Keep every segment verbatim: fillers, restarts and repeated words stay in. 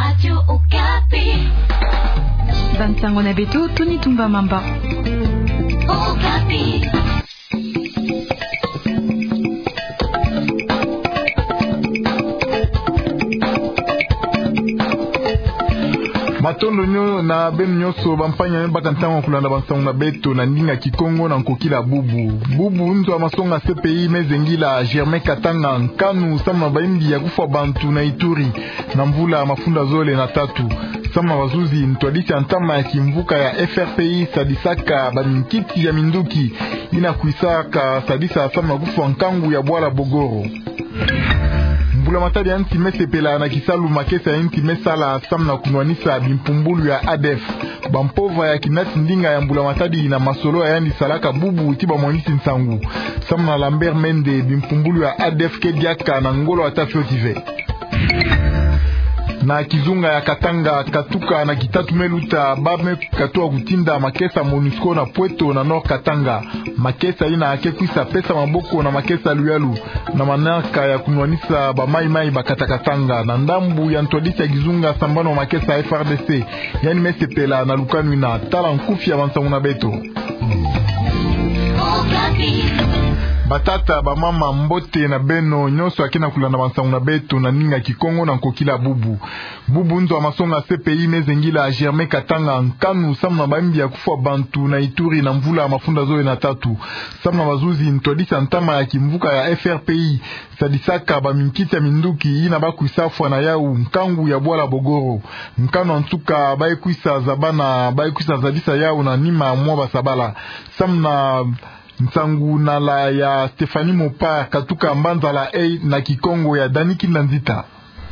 Radio Okapi. Bansango na beto, Tony Tumba Mamba. Okapi. Matondo nyo-, na beno nyonso, bampanya me baka ntangu ya kulanda bansango na beto na ndinga Kikongo na nkokila bubu. Bubu, nzo ya masonga C P I me zengila Germain Katanga nkanu samu na bayimbi ya kufwa bantu na Ituri na mvula mafunda zole na tatu. Samu na bazuzi, ntwadisi ya ntama ya kimvuka ya F R P I sadisaka baminkiti ya minduki yina kwisaka sadisa samu na kufwa nkangu ya bwala Bogoro. Mbula Matadi ya nsi me sepela na kisalu makesa ya nsi me sala samu na kunwanisa bimpumbulu ya ADF. Bampova ya kinati ndinga ya Mbula Matadi na masolo ya yandi salaka bubu ti bamwanisi nsangu. Samu na Lambert Mende, bimpumbulu ya ADF ke diaka na ngolo ata fioti ve. Na kizunga ya Katanga, katuka na kitatu me luta, ba me katuka kutinda makesa MONUSCO na Pweto na Nord Katanga. Makesa yina ke kwisa pesa maboko na makesa Luyalu na manaka ya kunwanisa ba Mai Mai ba kata Katanga. Na ndambu ya ntwadisi ya kizunga sambanu ya makesa F R D C, yandi me sepela na lukanu yina. Tala nkufi ya bansango na beto. Batata, bamama, mbote na beno nyonso ya ke na kulanda bansango na beto na ndinga Kikongo na nkokila bubu. Bubu, nzo ya masonga C P I me zengila Germain Katanga nkanu samu na bayimbi ya kufwa bantu na Ituri na mvula mafunda zole na tatu. Samu na bazuzi, ntwadisi ya ntama ya kimvuka ya F R P I sadisaka baminkiti ya minduki yina ba kwisa fwa na yau nkangu ya bwala Bogoro. Nkanu ya nsuka ba ye kwisa zabana, ba ye kwisa zabisa yau na nima mwa basabala. Samu na nsangu na la ya Stéphanie Mopa, katuka mbanzala e na Kikongo ya Dani Kinda Nzita.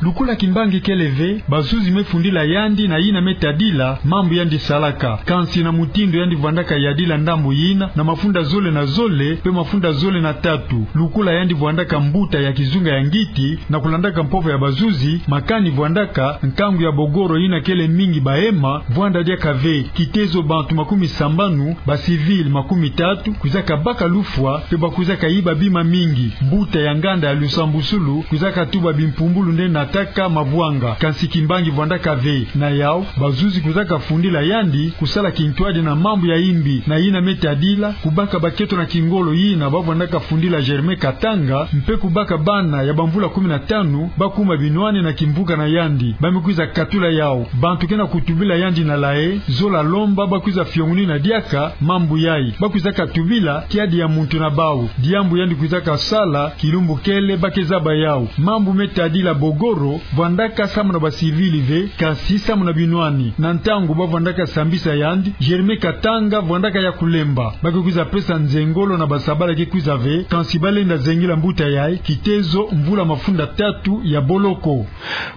Lukula kimbangi kele ve, bazuzi me fundila yandi na yina me tadila mambu yandi salaka. Kansi na mutindu yandi vwandaka yadila ndambu yina na mafunda zole na zole, pe mafunda zole na tatu, lukula yandi vwandaka mbuta ya kizunga ya ngiti, na kulandaka mpova ya bazuzi, makani vwandaka nkangu ya Bogoro yina kele mingi ba ema, vwanda diaka ve, kitezo bantu makumi sambanu, ba civil makumi tatu, kwizaka baka lufwa, pe ba kwizaka yiba bima mingi. Mbuta ya nganda ya lusambusulu kwizaka tuba bimpumbulu nde nataka mavwanga. Kansi kimbangi vwandaka ve. Na yau, bazuzi kwizaka fundila yandi kusala kintwadi na mambu ya yimbi, na yina me tadila kubaka baketo na kingolo yina ba vwandaka fundila Germain Katanga, mpe kubaka bana ya bamvula kumi na tanu ba kuma binwani na kimvuka na yandi. Ba me kwiza katula yau. Bantu ke na kutubila yandi na la e, zola lomba ba kwiza fiongunina diaka mambu yayi. Ba kwizaka tubila kiadi ya muntu na bau. Diambu yandi kwizaka sala, kilumbu kele ba ke zaba yau. Mambu me tadila Bogoro vwandaka samu na ba civil ve, kansi samu na binwani. Na ntangu ba vwandaka sambisa yandi, Germain Katanga vwandaka ya kulemba. Ba ke kwiza pesa nzengolo na basabala ke kwiza ve, kansi ba lenda zengila mbuta yayi, kitezo mvula mafunda tatu ya boloko.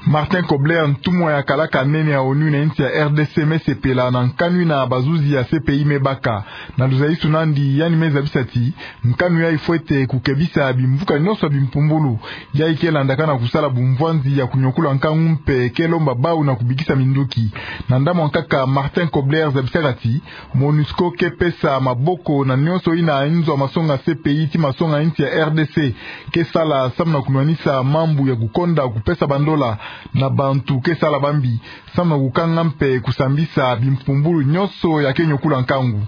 Martin Kobler, ntumwa ya kalaka nene ya ONU na insi ya R D C, me sepela na nkanu yina bazuzi ya C P I me baka. Na luzaisu na yandi, yandi me zabisa ti nkanu yayi fwete kukebisa bimvuka nyonso ya bimpumbulu. Yayi ke landaka na kusala bumvwanzi ya kunyokula nkangu mpe ke lomba bau na kubikisa minduki. Na ndambu ya nkaka, Martin Kobler zabisaka ti MONUSCO ke pesa maboko na nyonso yina nzo ya masonga C P I ti masonga insi ya R D C ke sala samu na kunwanisa mambu ya kukonda kupesa bandola na bantu ke sala bambi, samu na kukanga mpe kusambisa bimpumbulu nyonso ya ke nyokula nkangu.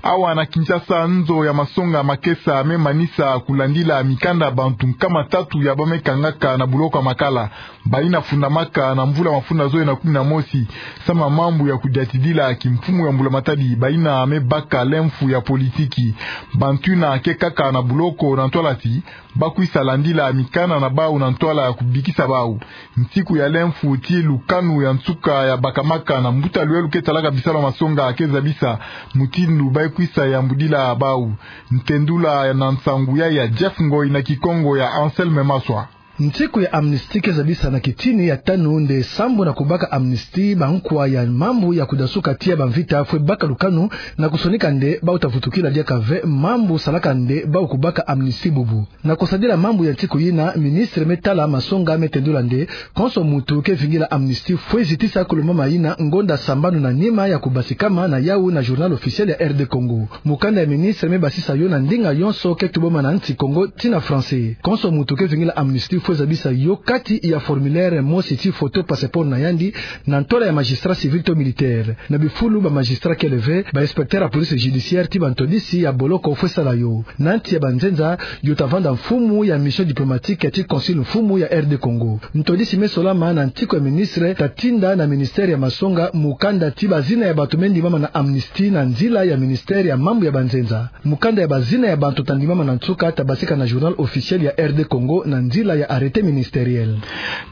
Awa na Kinshasa, nzo ya masonga makesa me manisa kulandila mikanda ya bantu nkama tatu ya ba me kangaka na buloko ya Makala, bayina fundamaka na mvula mafunda zole na kumi na mosi, samu na mambu ya kudiatidila kimfumu ya Mbula Matadi, bayina me baka lemfu ya politiki. Bantu yina ke kaka na buloko na ntwala ti ba kwisa landila mikanda na bau na ntwala ya kubikisa bau. Nsiku ya lemfu ti lukanu ya nsuka ya bakamaka na mbuta Luyalu ke talaka bisalu ya masonga ke zabisa mutindu ba kwisa yambudila bau. Ntendula na nsangu ya, ya Jeff Ngoi na Kikongo ya Anselme Maswa. Nsiku ya amnistie ke zabisa na kitini ya tanu nde sambu na kubaka amnistie bankwa ya mambu ya kudasuka tiya bamvita fwe baka lukanu na kusonika nde bau ta vutukila diaka ve mambu salaka nde bau kubaka amnistie bubu. Na kusadila mambu ya nsiku yina, ministre me tala masonga me tendula nde konso muntu ke vingila amnistie fwe zitisa kulumbama yina ngonda sambanu na nima ya kubasikama na yau na Journal Officiel ya R D Congo. Mukanda ya ministre me basisa yo na ndinga yonso ke tubama na nsi Kongo ti na français. Konso muntu ke vingila amnistie Faut zabisa yo kati ya formulaire mosi ti photo passeport na yandi, na ntola ya magistrat civil to militaire. Na bifulu ba magistrat kele ve, ba inspecteur ya police judiciaire ti ba ntwadisi ya boloko faut sala yo. Na nti ya banzenza, yo ta vanda mfumu ya mission diplomatique ti consul mfumu ya R D Congo. Ntwadisi me solama na ntiko ya ministre ta tinda na ministère ya masonga mukanda ti bazina ya bato me ndimama na amnistie na nzila ya ministère ya mambu ya banzenza. Mukanda ya bazina ya bato ta ndimama na nsuka ta basika na journal officiel ya R D Congo na nzila ya arrêté ministériel.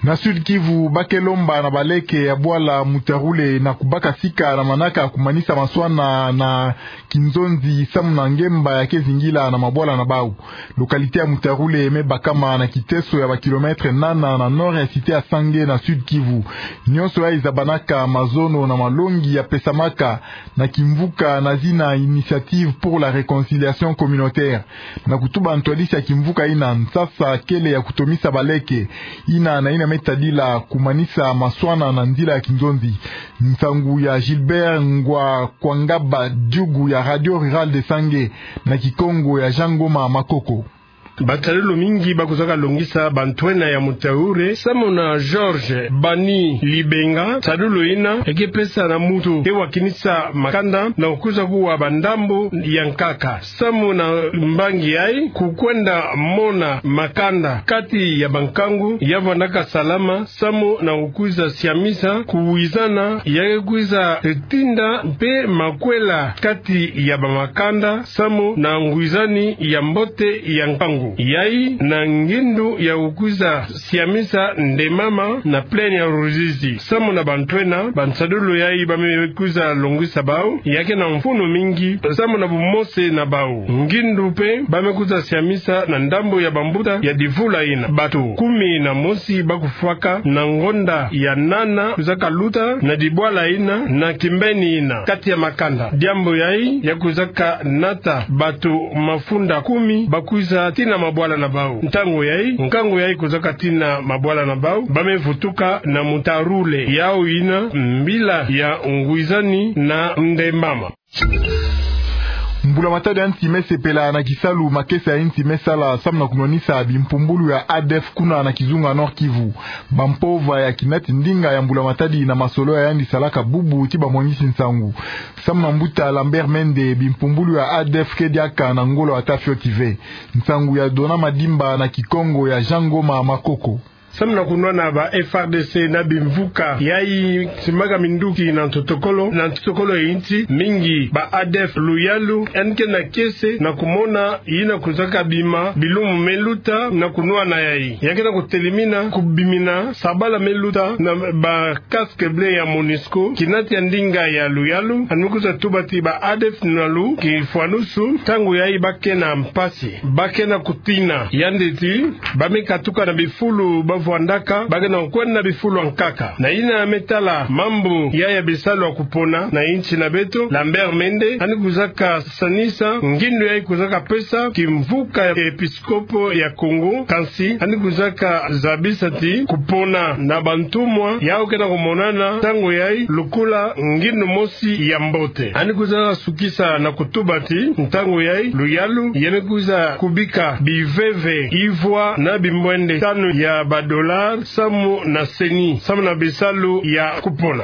Na Sud-Kivu, ba ke lomba na baleke ya bwala Mutarule na kubaka sika na manaka kumanisa maswana na kinzonzi samu na ngemba ya ke zingila na mabwala na bau. Localité ya Mutarule me bakama na kiteso ya ba kilomètre nana na nord ya cité ya Sange na Sud-Kivu. Nionso yai zabanaka mazono na malongi ya pesamaka na kimvuka na zina Initiative pour la Réconciliation Communautaire. Na kutuba ntwadisi ya kimvuka ina, nsasa kele ya kutomisa baleke ina na ina me tadila kumanisa maswana na nzila ya kinzonzi. Nsangu ya Gilbert Ngwa Kwangaba, diugu ya Radio Rurale de Sange, na Kikongo ya Jean Ngoma Makoko. Basadulu mingi ba kwizaka longisa bantwenya ya Mutarule, samu na Georges Bani Libenga, sadulu ina e ke pesa na muntu ke wakinisa makanda na kukwiza kuwa bandambu ya nkaka. Samu na mbangi yai, kukwenda mona makanda kati ya bankangu ya vandaka salama, samu na kukwiza siamisa kuwizana ya ke kwiza tinda mpe makwela kati ya bamakanda, samu na ngwizani ya mbote ya nkangu. Yai na ngindu ya kukwiza siamisa ndemama na plaine ya Ruzizi. Samu na bantwenya, bansadulu yai ba me kwiza longisa bau, ya ke na mfunu mingi, samu na bumosi na bau. Ngindu mpe ba me kwiza siamisa na ndambu ya bambuta ya divula ina. Bato kumi na mosi ba kufwaka na ngonda ya nana kwizaka luta na dibwala ina na kimbeni ina kati ya makanda. Diambu yai ya kwizaka nata bato mafunda kumi ba kwiza tina mabwala na bau. Ntangu yai, nkangu yai kwizaka tina mabwala na bau, ba me vutuka na Mutarule, yau ina mbila ya ngwizani na ndemama. Mbula Matadi ya nsi me sepela na kisalu makesa ya nsi me sala samu na kunwanisa bimpumbulu ya ADF kuna na kizunga Nord-Kivu. Bampova ya kinati ndinga ya Mbula Matadi na masolo ya yandi salaka bubu ti bamwanisi nsangu. Samu na mbuta Lambert Mende, bimpumbulu ya ADF ke diaka na ngolo ata fioti ve. Nsangu ya Dona Madimba na Kikongo ya Jean Ngoma Makoko. Samu na kunwana ba FARDC na bimvuka yai simbaka minduki na ntotokolo, na ntotokolo ya nsi mingi, ba ADF Luyalu yandi ke na kiese na kumona yina kwizaka bima bilumbu me luta na kunwana yai. Ya ke na kutelemina kubimina sabala me luta na ba casque bleu ya MONUSCO, kinati ya ndinga ya Luyalu, yandi me kwiza tuba ti ba ADF Nalu kifwanusu, ntangu yai ba ke na mpasi, ba ke na kutina. Yandi ti, ba me katuka na bifulu ba vwandaka, ba ke na kwenda na bifulu ya nkaka. Na yina me tala mambu ya, ya bisalu ya kupona na nsi na beto, Lambert Mende, yandi kwizaka sanisa ngindu yai kwizaka pesa kimvuka ya episkopo ya Congo, kansi yandi kwizaka zabisa ti kupona na bantumwa yau ke na kumonana ntangu yai lukula ngindu mosi ya mbote. Yandi kwizaka sukisa na kutuba ti ntangu yai Luyalu ya me kwiza kubika biveve ivwa na bimwende tanu ya ba dollars samu na CENI, samu na bisalu ya kupona.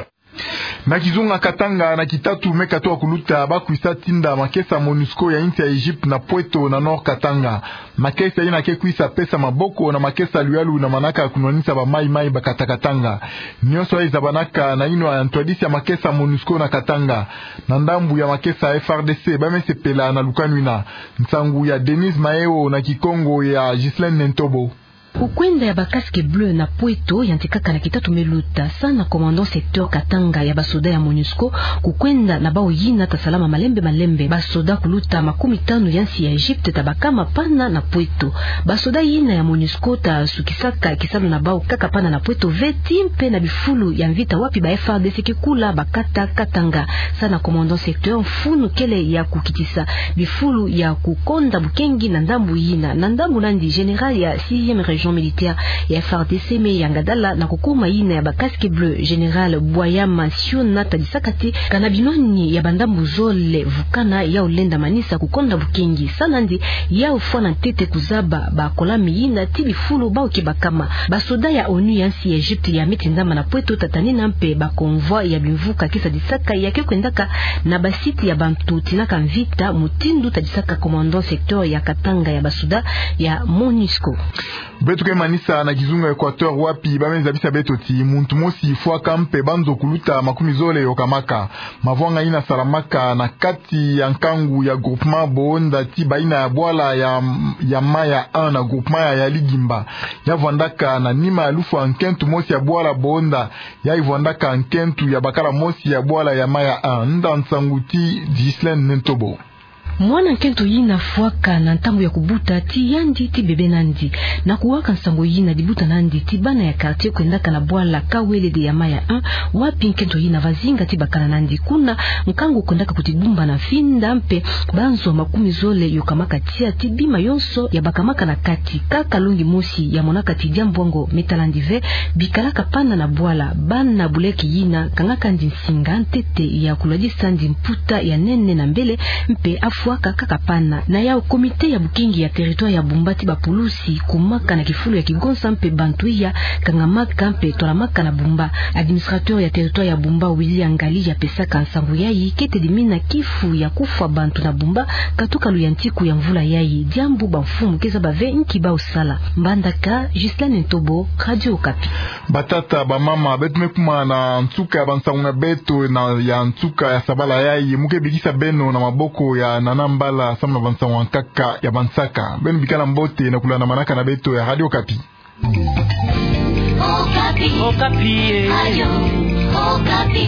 Na kizunga Katanga, na kitatu me katuka kuluta, ba kwisa tinda makesa MONUSCO ya nsi ya Egypte na Pweto na Nord Katanga. Makesa yina ke kwisa pesa maboko na makesa Luyalu na manaka kunwanisa ba Mai Mai ba kata Katanga. Nionso yai zabanaka na yinwa ya ntwadisi ya makesa MONUSCO na Katanga. Na ndambu ya makesa FARDC, ba me sepela na lukanu yina. Nsangu ya Denise Maeo na Kikongo ya Ghislaine Nentobo. Kukwenda ya ba casque bleu na Pweto yantikaka na kitatu me luta, sa na commandant secteur Katanga ya basoda ya MONUSCO. Kukwenda na bau yina ta salama malembe malembe. Basoda kuluta makumi tanu ya nsi ya Egypte ta bakama pana na Pweto. Basoda yina ya MONUSCO ta sukisaka kisalu na bau kaka pana na Pweto ve, ti mpe na bifulu ya mvita wapi ba FARDC ke kula ba kata Katanga. Sa na commandant secteur, mfunu kele ya kukitisa bifulu ya kukonda bukengi na ndambu yina. Na ndambu nandi, général ya sixième région Jean militaire ya F A R D C me ya Ngadala na kukuma yina ya ba casques bleus, général Bwayama Siona tadisaka ti kana binwani ya bandambu zole vukana yau lenda manisa kukonda bukengi. Sa nandi yau fwana ntete kuzaba bakola mi yina ti bifulu bau ke bakama. Basoda ya ONU ya nsi ya Egypte ya me tindama na pweto tatanina mpe ba convoi ya bimvuka ke sadisaka ya ke kwendaka na ba site ya bantu tinaka mvita, mutindu tadisaka commandant secteur ya Katanga ya basoda ya MONUSCO. Beto ke manisa na kizunga Équateur wapi ba me zabisa beto ti muntu mosi fwaka mpe banzo kuluta makumi zole yokamaka. Mavwanga yina salamaka na kati ya nkangu ya groupement Boonda ti bayina ya bwala ya, ya Maya un na groupement ya, ya Ligimba. Ya vwandaka na nima ya lufwa nkento mosi ya bwala Boonda, yayi vwandaka nkento ya bakala mosi ya bwala ya Maya un. Nda nsangu ti Ghislaine Nentobo. Mwana nkento yina fwaka na ntangu ya kubuta ti yandi ti bebe nandi. Na kuwaka nsangu yina dibuta nandi ti bana ya quartier kwendaka na bwala Kawelede ya Maya un, wapi nkento yina va zinga ti bakala nandi. Kuna nkangu kwendaka kutidumba na finda mpe banzo makumi zole yokamaka tia ti bima yonso ya bakamaka na kati. Kaka longi mosi ya monaka ti diambu yango me tala nandi ve, bikalaka pana na bwala. Bana buleke yina kangaka nandi nsinga ntete ya kulwadisa nandi mputa ya nene na mbele, mpe afwaka kaka pana. Na yau comité ya bukengi ya territoire ya Bumba ti bapulusi kumaka na kifulu ya kigonsa mpe bantu ya kangamaka mpe twalamaka na Bumba. Administrateur ya territoire ya Bumba Willy Angali ya pesaka nsangu yayi, kete dimina kifu ya kufwa bantu na Bumba katuka luyantiku ya mvula yayi. Diambu bamfumu ke zaba ve nki bau sala. Mbandaka, Ghislaine Ntobo, Radio Okapi. Batata, bamama, beto me kuma na nsuka ya bansangu na beto na ya nsuka ya sabala yayi. Mu ke bikisa beno na maboko ya Nana Mbala samu na bansangu ya nkaka ya bansaka. Beno bikala mbote na kulanda manaka na beto ya Radio Okapi. Okapi. Okapi, eh. Radio Okapi.